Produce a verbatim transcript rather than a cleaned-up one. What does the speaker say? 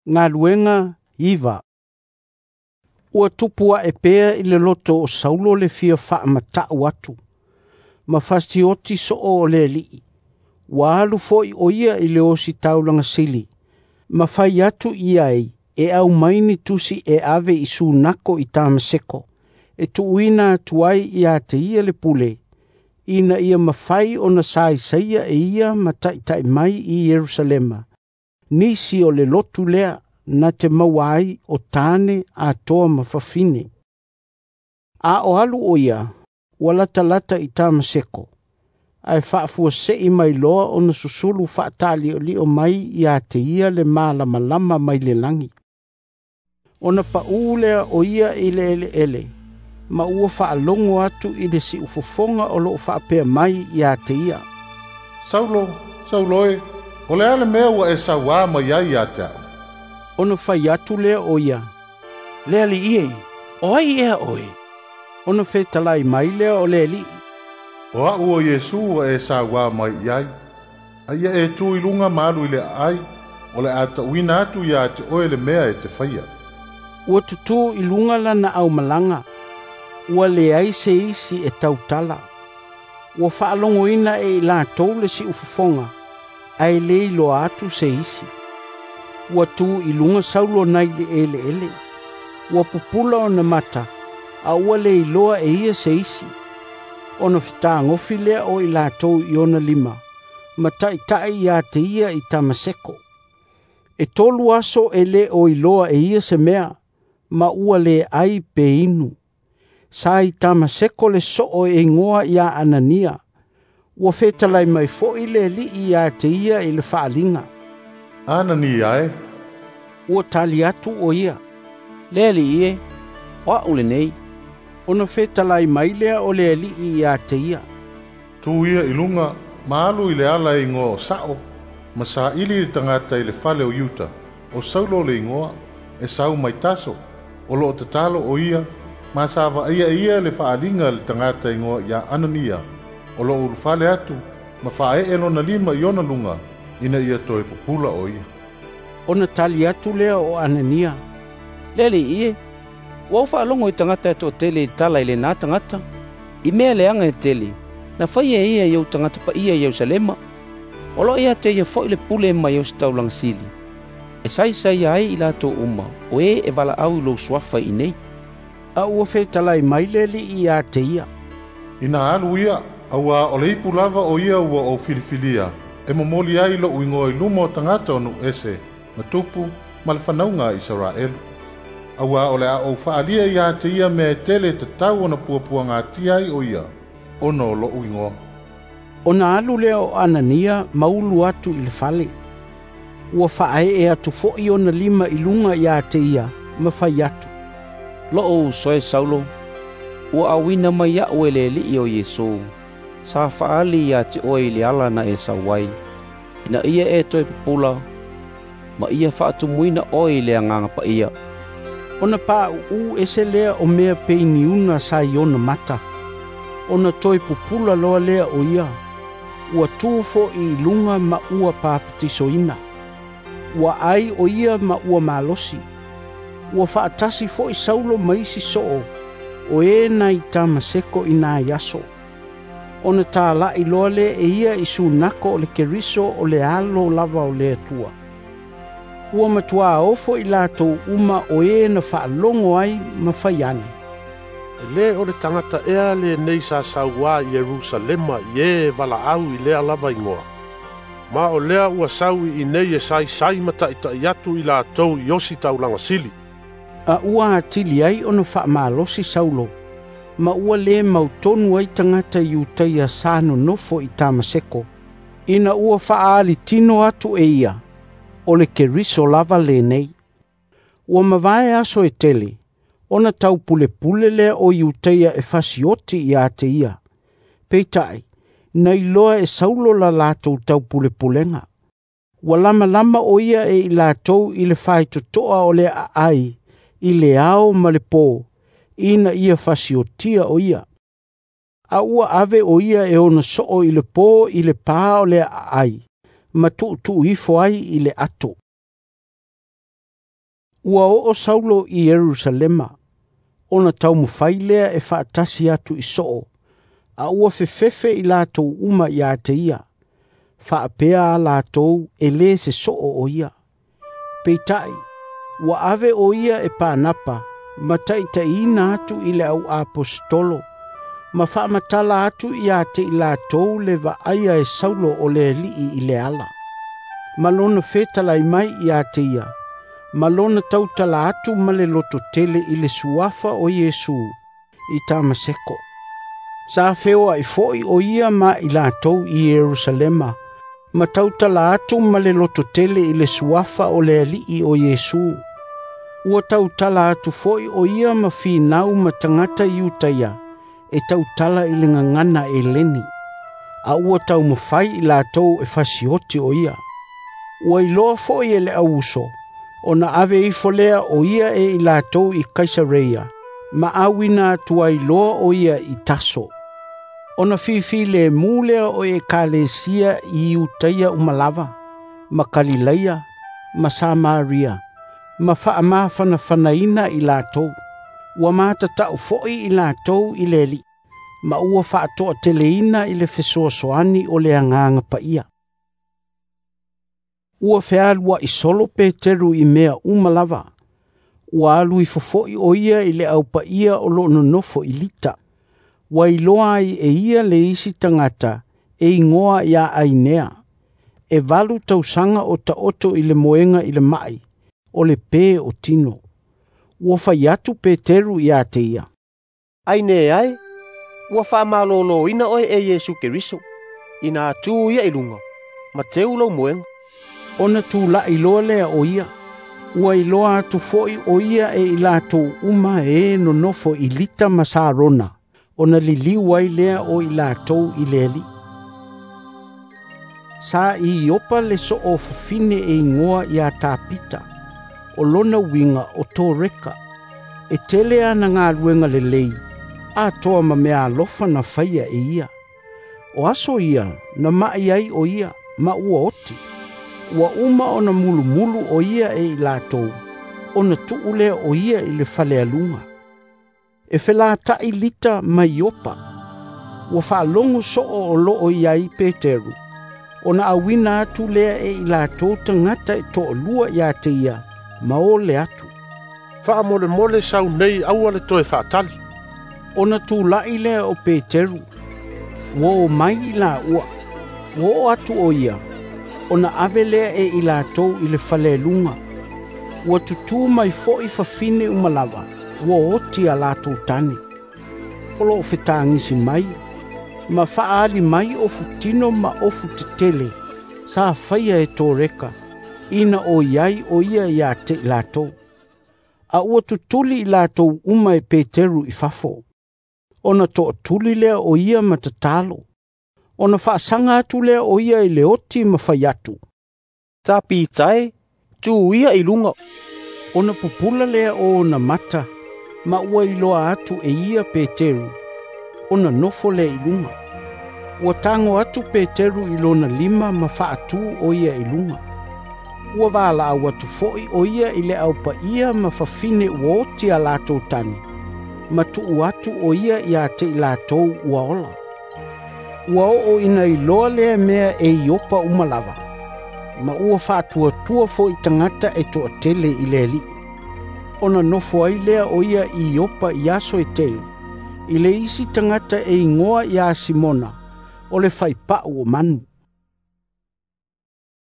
Galuega iva. Ua tupu ae pea i le loto o Saulo le fia faamata'u atu, ma fasioti so'o o le Alii. Ua alu fo'i o ia i le ositaulaga sili, ma fai atu i ai e aumai ni tusi e ave i sunako i Tamaseko, e tuuina atu ai ia te ia le pule, ina ia mafai ona saisaia e ia ma taʻitaʻi mai i Ierusalema, nisi o le lotu lea na te maua ai o tane atoa ma fafine. A o alu o ia, ua latalata i Tamaseko, ae faafuase'i mai loa ona susulu faataali'oli'o mai ia te ia le malamalama mai le lagi. Ona pa'ū lea o ia i le eleele, ma ua faalogo atu i le siufofoga o loo faapea mai ia te ia, "Saulo, Saulo e, o le a le mea ua e sauā mai ai ia te a'u?" Ona fai atu lea o ia, "Le Alii e, o ai ea oe?" Ona fetalai mai lea o le Alii, "O a'u o Iesu ua e sauā mai i ai. A ia e tu i luga ma alu i le aai, o le a ta'uina atu iā te oe le mea e te faia." Ua tutū i luga lana aumalaga, ua leai se isi e tautala. Ua faalogoina e i latou le siufofoga, ae lē iloa atu se isi. Ua tu i luga Saulo nai le eleele. Ua pupula ona mata, a ua le iloa e ia se isi. Ona fetagofi lea o i latou i ona lima, ma taʻitaʻi ia te ia i Tamaseko. E tolu aso e lē o iloa e ia se mea, ma ua lē ai pe inu. Sa i Tamaseko le soo e igoa ia Anania. Ua fetalai mai fo'i le Alii ia te ia i le faaliga, "Anania e." Ua tali atu o ia, "Le Alii e, o a'u lenei." Ona fetalai mai lea o le Alii ia te ia, "Tu ia i luga ma alu i le ala e igoa o Sa'o, ma saili le tagata i le fale o Iuta, o Saulo le igoa, e sau mai Taso, o loo tatalo o ia, ma sa vaaia e ia le faaliga a le tagata igoa ia Anania, o loo ulufale atu ma faaee lona lima i ona luga, ina ia toe pupula o ia." Ona tali atu lea o Anania, "Le Alii e, ua ou faalogo i tagata e toatele i tala i lenā tagata, i mea leaga e tele, na faia e ia i ou tagata paia i Ierusalema. O loo ia te ia fo'i le pule mai ositaulaga sili, e saisaia ai i latou uma o e e valaau i lou suafa i inei." A ua fetalai mai le Alii ia te ia, "Ina alu ia, auā o le ipu lava o ia ua ou filifilia, e momoli ai lo'u igoa i luma o tagata o nuu ese, ma tupu ma le fanauga a Isaraelu. Auā o le a ou faaalia iā te ia mea e tele e tatau ona puapuagatia ai o ia, ona o lo'u igoa." Ona alu lea o Anania ma ulu atu i le fale. Ua faaee atu fo'i ona lima i luga ia te ia ma fai atu, "Lo'u uso e Saulo, ua auina mai a'u e le Alii o Iesu, sa faaali ia te oe i le ala na e sau ai, ina ia e toe pupula, ma ia faatumuina oe i le Agaga Paia." Ona paʻuʻu ese lea o mea peiniuna sa i ona mata. Ona toe pupula loa lea o ia. Ua tu fo'i i luga ma ua papatisoina. Ua ai o ia ma ua malosi. Ua faatasi fo'i Saulo ma isi soo, o e nai Tamaseko i nai aso. Ona tala'i loa lea e ia i sunako o le Keriso o le alo lava o le Atua. Ua matuā ofo i latou uma o e na faalogo ai ma fai ane, "E lē o le tagata ea lenei sa sauā i Ierusalema i ē e valaau i lea lava igoa? Ma o lea ua sau i inei e saisai ma taʻitaʻi atu i latou i ositaulaga sili." A ua atili ai ona faamalosi Saulo, ma ua lē mautonu ai tagata Iutaia sa nonofo i Tamaseko, ina ua faaalitino atu e ia, o le Keriso lava lenei. Ua mavae aso e tele, ona taupulepule lea o Iutaia e fasioti ia te ia. Peitai, na iloa e Saulo la latou taupulepulega. Ua lamalama o ia e i latou i le faitotoa o le aai, i le ao ma le pō, ina ia fasiotia o ia. A ua ave o ia e ona soo i le pō i le pā o le aai, ma tuutuu ifo ai i le ato. Ua oo Saulo i Ierusalema, ona taumafai lea e faatasi atu i soo, a ua fefefe i latou uma ia te ia, faapea a latou e lē se soo o ia. Peitai, ua ave o ia e Panapa ma taitaiina atu i le au aposetolo, ma faamatala atu ia te i latou le vaaia e Saulo o le Alii i le ala. Ma lona fetalai mai ia te ia, ma lona tautala atu ma le lototele i le suafa o Iesu i Tamaseko. Sa feoai foi o ia ma i latou i Ierusalema, ma tautala atu ma le lototele i le suafa o le Alii o Iesu. Ua tautala atu foi o ia ma finau ma tagata Iutaia, e tautala i le gagana Eleni, a ua taumafai i latou e fasioti o ia. Ua iloa foi e le auuso, ona ave ifo lea o ia e i latou i Kaisareia, ma auina atu ai loa o ia i Taso. Ona fifi le mu lea o ekalesia i Iutaia uma lava, ma Kalilaia, ma Samaria, ma faamafanafanaina i latou. Ua matatau foi i latou i le Alii, ma ua faatoateleina i le fesoasoani o le Agaga Paia. Ua fealuai solo Peteru i mea uma lava. Ua alu ifo foi o ia i le aupaia o loo nonofo i Lita. Ua iloa ai e ia le isi tagata e igoa ia Ainea. E valu tausaga o taoto i le moega i le mai, o le pē o tino. Ua fai atu Peteru ia te ia, Ainea e, ua faamaloloina oe e Iesu Keriso, ina tu ia i luga, ma teu lou moega. Ona tula'i loa lea o ia. Ua iloa atu foi o ia e i latou uma e nonofo i Lita ma Sarona, ona liliu ai lea o i latou i le Alii. Sa i Iopa le soo fafine e igoa ia Tapita, o lona uiga o Toreka. E tele ana galuega lelei, atoa ma mea alofa na faia e ia. O aso ia na mai ai o ia ma ua oti. Ua uma ona mulumulu o ia e i latou, ona tuu lea o ia i le falealuga. E felata'i Lita ma Iopa. Ua faalogo soo o loo i ai Peteru, ona auina atu lea e i latou tagata e toalua ia te ia, ma ole atu. Faamolemole sau nei aua le toe faatali. Ona tula'i lea o Peteru, ua o mai i laua. Ua oo atu o ia, ona ave lea e i latou i le falealuga. Ua tutū mai foi fafine uma lava, ua oti a latou tane. O loo fetagisi mai, ma faaali mai ofu tino ma ofu tetele, sa faia e Toreka, ina o iai o ia ia te i latou. A ua tutuli i latou uma e Peteru i fafo. Ona toatuli lea o ia ma tatalo. Ona faasaga atu lea o ia i le oti ma fai atu, Tapita e, tu ia i luga. Ona pupula lea o ona mata, ma ua iloa atu e ia Peteru, ona nofo lea i luga. Ua tago atu Peteru i lona lima ma faatū o ia i luga. Ua valaau atu foi o ia i le aupaia ma fafine ua oti a latou tane, ma tuu atu o ia ia te i latou ua ola. Ua oo ina iloa lea mea e Iopa uma lava, ma ua faatuatua foi tagata e toatele i le Alii. Ona nofo ai lea o ia i Iopa i aso e tele, i le isi tagata e igoa ia Simona, o le faipau o manu.